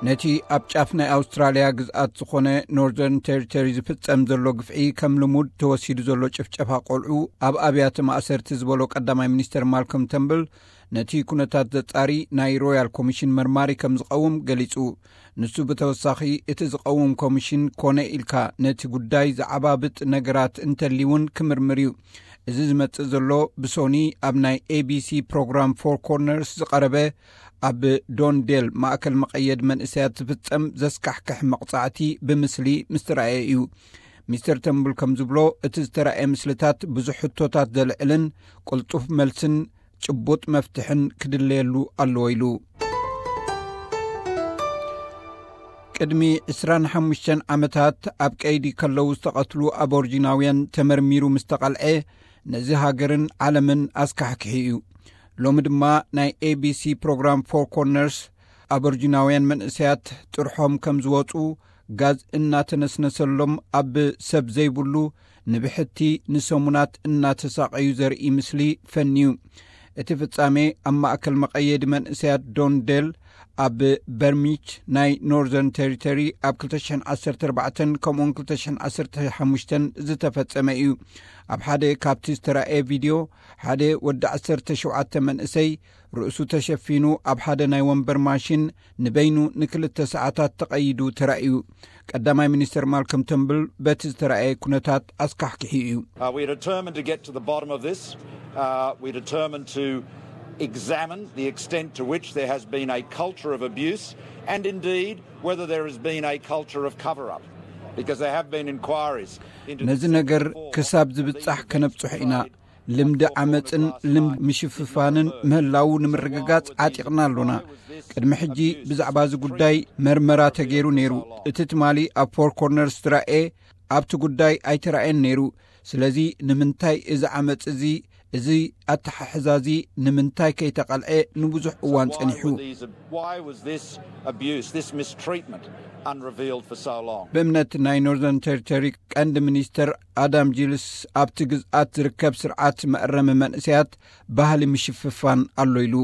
ነቲ ኣብ ጫፍ ናይ ኣውስትራልያ ግዝኣት ዝኾነ ኖርዘርን ቴሪቶሪ ዝፍጸም ዘሎ ግፍዒ፣ ከም ልሙድ ተወሲዱ ዘሎ ጭፍጨፋ ቆልዑ ኣብ ኣብያተ ማእሰርቲ ዝበሎ ቀዳማይ ሚኒስተር ማልኮም ተምብል፣ ነቲ ኩነታት ዘጻሪ ናይ ሮያል ኮሚሽን መርማሪ ከም ዝቐውም ገሊጹ። ንሱ ብተወሳኺ፣ እቲ ዝቐውም ኮሚሽን ኮነ ኢልካ ነቲ ጉዳይ ዝዓባብጥ ነገራት እንተልይውን ክምርምር እዩ። እዚ ዝመጽእ ዘሎ ብሶኒ ኣብ ናይ ኤቢሲ ፕሮግራም ፎር ኮርነርስ ዝቐረበ፣ ኣብ ዶንዴል ማእከል መቐየድ መንእሰያት ዝፍጸም ዘስካሕክሕ መቕጻዕቲ ብምስሊ ምስ ተራእየ እዩ። ሚስተር ተምብል ከም ዝብሎ፣ እቲ ዝተራእየ ምስልታት ብዙሕ ሕቶታት ዘልዕልን ቅልጡፍ መልስን ጭቡጥ መፍትሕን ክድለየሉ ኣለዎ ኢሉ። ቅድሚ ዕስራን ሓሙሽተን ዓመታት ኣብ ቀይዲ ከለዉ ዝተቐትሉ ኣቦርጂናውያን ተመርሚሩ ምስ ተቐልዐ፣ ነዚ ሃገርን ዓለምን ኣስካሕኪሑ እዩ። ሎሚ ድማ ናይ ኤቢሲ ፕሮግራም ፎር ኮርነርስ ኣቦርጂናውያን መንእሰያት ጥርሖም ከም ዝወጹ፣ ጋዝ እናተነስነሰሎም፣ ኣብ ሰብ ዘይብሉ ንብሕቲ ንሰሙናት እናተሳቐዩ ዘርኢ ምስሊ ፈንዩ። እቲ ፍጻሜ ኣብ ማእከል መቐየዲ መንእሰያት ዶንዴል ኣብ በርሚች ናይ ኖርዘርን ቴሪቶሪ ኣብ ክልተ ሽሕን ዓሰርተ ኣርባዕተን ከምኡውን ክልተ ሽሕን ዓሰርተ ሓሙሽተን ዝተፈጸመ እዩ። ኣብ ሓደ ካብቲ ዝተራእየ ቪድዮ፣ ሓደ ወዲ ዓሰርተ ሸውዓተ መንእሰይ ርእሱ ተሸፊኑ ኣብ ሓደ ናይ ወንበር ማሽን ንበይኑ ንክልተ ሰዓታት ተቐይዱ ተራእዩ። ቀዳማይ ሚኒስተር ማልኮም ተምብል በቲ ዝተራእየ ኩነታት ኣስካሕኪሑ እዩ። Uh, we are determined to get to the bottom of this. Uh, we are determined to examine the extent to which there has been a culture of abuse and indeed whether there has been a culture of cover up, because there have been inquiries into ነዚ ነገር ክሳብ ዝብጻሕ ከነብጽሖ ኢና። ልምዲ ዓመጽን ልምዲ ምሽፍፋንን ምህላዉ ንምርግጋጽ ዓጢቕና ኣሎና። ቅድሚ ሕጂ ብዛዕባ እዚ ጉዳይ መርመራ ተገይሩ ነይሩ። እቲ ትማሊ ኣብ ፎር ኮርነርስ ዝረኣየ ኣብቲ ጉዳይ ኣይተራእየን ነይሩ። ስለዚ ንምንታይ እዚ ዓመጽ እዚ፣ እዚ ኣተሓሕዛ እዚ ንምንታይ ከይተቐልዐ ንብዙሕ እዋን ጸኒሑ? Why was this abuse, this mistreatment, unrevealed for so long? ብእምነት ናይ ኖርዘርን ቴሪቶሪ ቀንዲ ሚኒስተር ኣዳም ጂልስ፣ ኣብቲ ግዝኣት ዝርከብ ስርዓት መእረሚ መንእሰያት ባህሊ ምሽፍፋን ኣሎ ኢሉ።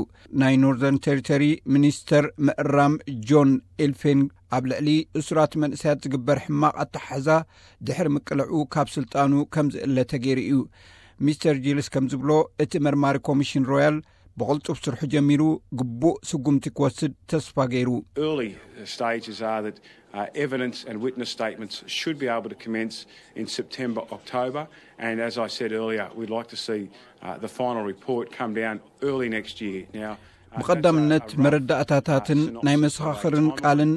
ናይ ኖርዘርን ቴሪቶሪ ሚኒስተር ምእራም ጆን ኤልፌን፣ ኣብ ልዕሊ እሱራት መንእሰያት ዝግበር ሕማቕ ኣተሓሕዛ ድሕሪ ምቅልዑ ካብ ስልጣኑ ከም ዝእለ ተገይሩ እዩ። ሚስተር ጂልስ ከም ዝብሎ፣ እቲ መርማሪ ኮሚሽን ሮያል ብቕልጡፍ ስርሑ ጀሚሩ፣ ግቡእ ስጉምቲ ክወስድ ተስፋ ገይሩ። Early stages are that uh, evidence and witness statements should be able to commence in September, October, and as I said earlier, we'd like to see uh, the final report come down early next year. Now, uh, that's a- ብቐዳምነት a rough, መረዳእታታትን uh, synopsis ናይ of a መሰኻኽርን timeline. ቃልን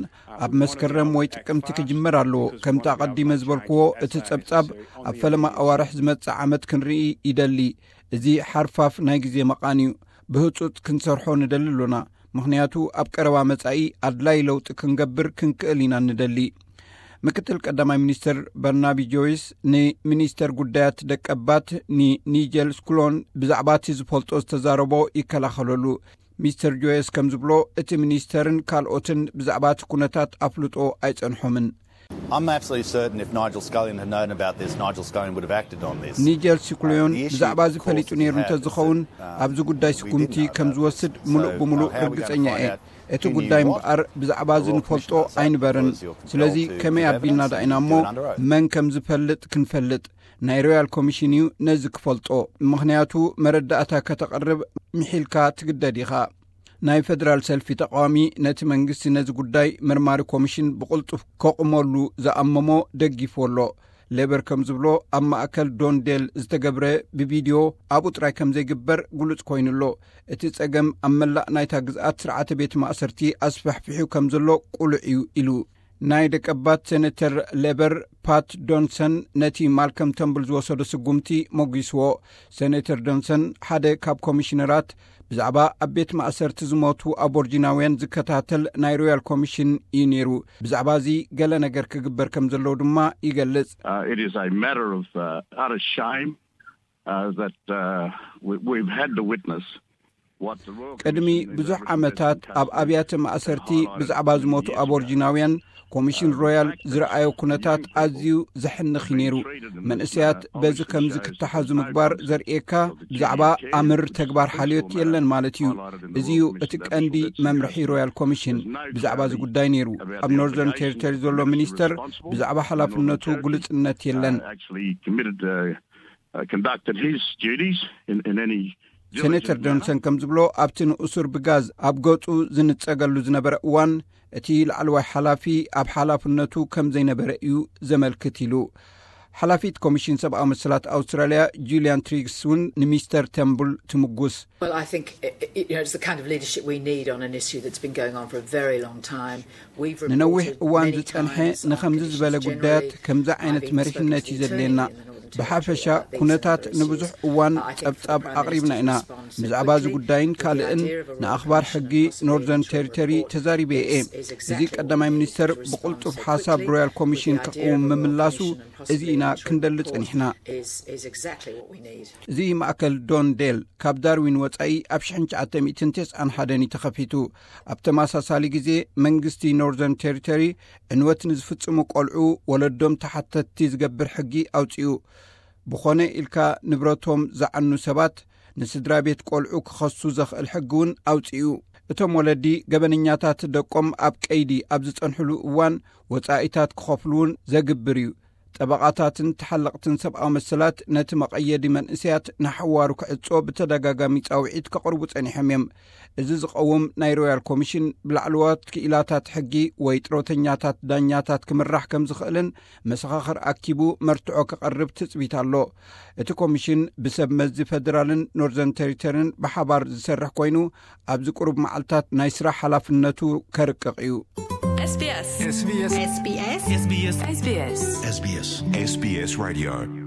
ኣብ መስከረም ወይ ጥቅምቲ ክጅመር ኣለዎ። ከምቲ ኣቐዲመ ዝበልክዎ፣ እቲ ጸብጻብ ኣብ ፈለማ ኣዋርሕ ዝመጽእ ዓመት ክንርኢ ይደሊ። እዚ ሓርፋፍ ናይ ግዜ መቓን እዩ። ብህጹጽ ክንሰርሖ ንደሊ ኣሎና፣ ምኽንያቱ ኣብ ቀረባ መጻኢ ኣድላይ ለውጢ ክንገብር ክንክእል ኢና ንደሊ። ምክትል ቀዳማይ ሚኒስትር በርናቢ ጆይስ ንሚኒስተር ጉዳያት ደቀባት ንኒጀል ስኩሎን ብዛዕባ እቲ ዝፈልጦ ዝተዛረቦ ይከላኸለሉ። ሚስተር ጆይስ ከም ዝብሎ፣ እቲ ሚኒስተርን ካልኦትን ብዛዕባ እቲ ኩነታት ኣፍልጦ ኣይጸንሖምን። I'm absolutely certain if Nigel Scullion had known about this, Nigel Scullion would have acted on this. ኒጀል ሲኩሎዮን ብዛዕባ እዚ ፈሊጡ ነይሩ እንተዝኸውን፣ ኣብዚ ጉዳይ ስጉምቲ ከም ዝወስድ ምሉእ ብምሉእ ርግጸኛ እየ። እቲ ጉዳይ እምበኣር ብዛዕባ እዚ ንፈልጦ ኣይንበርን። ስለዚ ከመይ ኣቢልና ዳኢና እሞ መን ከም ዝፈልጥ ክንፈልጥ? ናይ ሮያል ኮሚሽን እዩ ነዚ ክፈልጦ። ምኽንያቱ መረዳእታ ከተቕርብ ምሒልካ ትግደድ ኢኻ። ናይ ፈደራል ሰልፊ ተቃዋሚ ነቲ መንግስቲ ነዚ ጉዳይ መርማሪ ኮሚሽን ብቕልጡፍ ከቑመሉ ዝኣመሞ ደጊፉ ኣሎ። ሌበር ከም ዝብሎ፣ ኣብ ማእከል ዶንዴል ዝተገብረ ብቪድዮ ኣብኡ ጥራይ ከም ዘይግበር ግሉጽ ኮይኑ ኣሎ። እቲ ጸገም ኣብ መላእ ናይታ ግዝኣት ስርዓተ ቤት ማእሰርቲ ኣስፋሕፊሑ ከም ዘሎ ቁሉዕ እዩ ኢሉ። ናይ ደቀባት ሴኔተር ሌበር ፓት ዶንሰን ነቲ ማልከም ተምብል ዝወሰዶ ስጉምቲ ሞጒስዎ። ሴኔተር ዶንሰን ሓደ ካብ ኮሚሽነራት ብዛዕባ ኣብ ቤት ማእሰርቲ ዝሞቱ ኣቦርጂናውያን ዝከታተል ናይ ሮያል ኮሚሽን እዩ ነይሩ። ብዛዕባ እዚ ገለ ነገር ክግበር ከም ዘለዎ ድማ ይገልጽ። Uh, it is a matter of uh, utter shame uh, that uh, we, we've had the witness ቅድሚ ብዙሕ ዓመታት ኣብ ኣብያተ ማእሰርቲ ብዛዕባ ዝሞቱ ኣቦርጂናውያን ኮሚሽን ሮያል ዝረኣዮ ኩነታት ኣዝዩ ዘሕንኽ እዩ ነይሩ። መንእሰያት በዚ ከምዚ ክተሓዙ ምግባር ዘርእየካ ብዛዕባ ኣምር ተግባር ሓልዮት የለን ማለት እዩ። እዚ እዩ እቲ ቀንዲ መምርሒ ሮያል ኮሚሽን ብዛዕባ እዚ ጉዳይ ነይሩ። ኣብ ኖርዘርን ቴሪቶሪ ዘሎ ሚኒስተር ብዛዕባ ሓላፍነቱ ግሉጽነት የለን። Conducted his duties in, in any ሴኔተር ጆንሰን ከም ዝብሎ፣ ኣብቲ ንእሱር ብጋዝ ኣብ ገጹ ዝንጸገሉ ዝነበረ እዋን እቲ ላዕለዋይ ሓላፊ ኣብ ሓላፍነቱ ከም ዘይነበረ እዩ ዘመልክት ኢሉ። ሓላፊት ኮሚሽን ሰብኣዊ መሰላት ኣውስትራልያ ጁልያን ትሪግስ እውን ንሚስተር ተምቡል ትምጉስ። Well, I think it, it, you know, it's the kind of leadership we need on an issue that's been going on for a very long time. We've ንነዊሕ reported እዋን many ዝጸንሐ times on ንኸምዚ ዝበለ conditions ጉዳያት generally. ከምዚ ዓይነት I've even መሪሕነት spoken እዩ to the ዘድልየና። Attorney in the Northern ብሓፈሻ Territory about these ኩነታት matters. ንብዙሕ እዋን I think the ጸብጻብ Prime ኣቕሪብና Minister's ኢና። response has been ብዛዕባ እዚ quickly ጉዳይን with the ካልእን idea of a Royal ንኣኽባር Commission ሕጊ and possibly ኖርዘርን interim ቴሪቶሪ report. ተዛሪበ እየ። This is እዚ exactly what ቀዳማይ we need ሚኒስተር to respond ብቕልጡፍ to ሓሳብ quickly ሮያል with ኮሚሽን the idea ክቕውም of a Royal ምምላሱ Commission and እዚ possibly ኢና an interim ክንደሊ report. ጸኒሕና። Is, is exactly what we need. እዚ ማእከል ዶን ዴል ካብ ዳርዊን ወጻኢ ኣብ ሽሕን ትሽዓተ ሚእትን ተስዓን ሓደን እዩ ተኸፊቱ። ኣብ ተመሳሳሊ ግዜ መንግስቲ ኖርዘርን ቴሪቶሪ ዕንወት ንዝፍጽሙ ቆልዑ ወለዶም ተሓተትቲ ዝገብር ሕጊ ኣውጺኡ። ብኾነ ኢልካ ንብረቶም ዝዓኑ ሰባት ንስድራ ቤት ቆልዑ ክኸሱ ዘኽእል ሕጊ እውን ኣውጺኡ። እቶም ወለዲ ገበነኛታት ደቆም ኣብ ቀይዲ ኣብ ዝጸንሕሉ እዋን ወጻኢታት ክኸፍሉ እውን ዘግብር እዩ። ጠበቓታትን ተሓለቕትን ሰብኣዊ መሰላት ነቲ መቐየዲ መንእሰያት ንሓዋሩ ክዕጾ ብተደጋጋሚ ጻውዒት ከቕርቡ ጸኒሖም እዮም። እዚ ዝቐውም ናይ ሮያል ኮሚሽን ብላዕለዎት ክኢላታት ሕጊ ወይ ጥሮተኛታት ዳኛታት ክምራሕ ከም ዝኽእልን መሰኻኽር ኣኪቡ መርትዖ ከቐርብ ትጽቢት ኣሎ። እቲ ኮሚሽን ብሰብ መዚ ፈደራልን ኖርዘርን ቴሪቶሪን ብሓባር ዝሰርሕ ኮይኑ ኣብዚ ቁሩብ መዓልታት ናይ ስራሕ ሓላፍነቱ ከርቅቕ እዩ። SBS SBS SBS SBS SBS SBS Radio